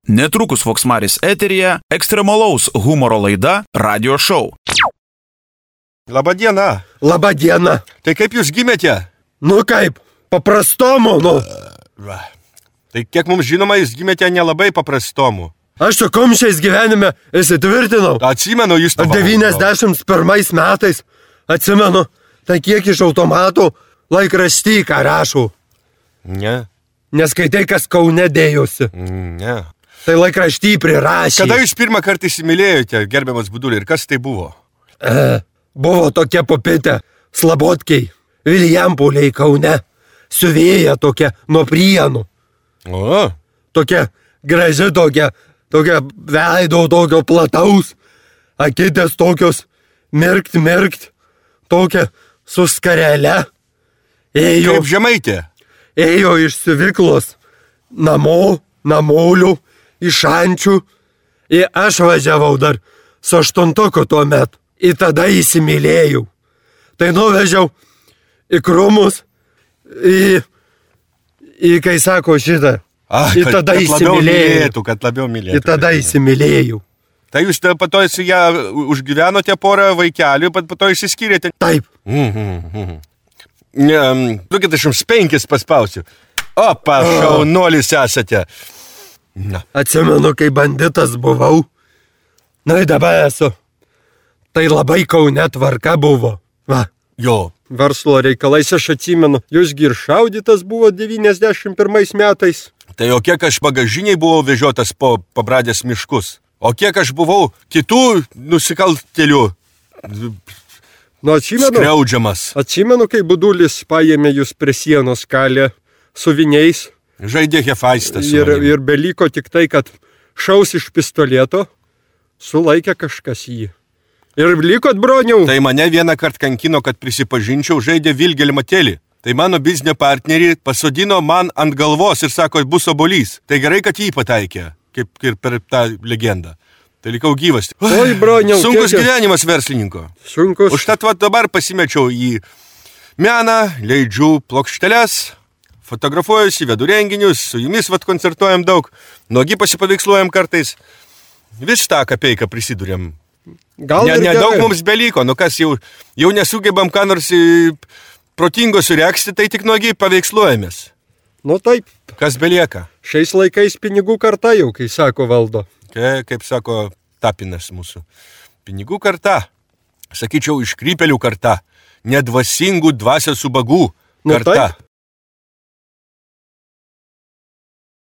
Netrukus Voksmaris eteryje ekstremalaus humoro laida Radio Show. Labadiena. Labadiena. Tai kaip jūs gimėte? Nu kaip, paprastomu, nu. Tai kiek mums žinoma, jūs gimėte nelabai paprastomu. Aš su kumščiais gyvenime įsitvirtinau. Atsimenu, jūs to 91 metais, atsimenu, tai kiek iš automatų laikraštį ką rašau. Ne. Neskaitai, kas Kaune dėjosi. Ne. Tai laikraštį prirašė. Kada jūs pirmą kartą įsimylėjote, gerbiamas Budulį, ir kas tai buvo? Buvo tokia popitė, Slabotkiai, Viljampoliai Kaune, siuvėja tokia nuo Prienų. O. Tokia graži, tokia veido tokio plataus, akitės tokios mirkt, tokia su skarele. Kaip žemaitė? Ėjo iš siuvyklos namolių, iš šančių. Ir aš važiavau dar su 8 tuo metu. Ir tada įsimylėjau. Tai nuvežiau į Krūmus, į kai sako šitą. Ir tada įsimylėjau. Kad labiau mylėtų. Ir tada įsimylėjau. Tai jūs po to su ją užgyvenote porą vaikelių, po to išsiskyrėte? Taip. 25 paspausiu. O, šaunuolis esate. Na. Atsimenu, kai banditas buvau. Na ir dabar esu. Tai labai Kaune tvarka buvo. Va. Jo. Verslo reikalais aš atsimenu. Jūsgi ir šaudytas buvo 91 metais. Tai o kiek aš bagažiniai buvau vežiotas po pabradės miškus. O kiek aš buvau kitų nusikaltėlių skriaudžiamas. Atsimenu, kai Budulis paėmė jūs prie sienos kalę su viniais. Žaidė hefaistas. Ir beliko tik tai, kad šaus iš pistoleto, sulaikė kažkas jį. Ir likot, broniau. Tai mane vieną kartą kankino, kad prisipažinčiau, žaidė Vilgelmatėlį. Tai mano biznio partnerį pasodino man ant galvos ir sako, bus obolys. Tai gerai, kad jį pataikė, kaip ir per tą legendą. Tai likau gyvas. Oi, broniau. Sunkus gyvenimas verslininko. Sunkus. Užtat dabar pasimečiau į meną, leidžiu plokšteles, fotografuojuosi, vedu renginius, su jumis koncertuojam daug, nuogi pasipaveiksluojam kartais. Vis tą kapeiką prisidurėm. Nedaug mums beliko, kas jau nesugebam ką nors protingo sureksti, tai tik nuogi paveiksluojamės. Nu taip. Kas belieka? Šiais laikais pinigų karta jau, kai sako valdo. Kaip sako Tapinas mūsų. Pinigų karta. Sakyčiau, iškrypelių karta. Nedvasingų dvasios ubagų karta.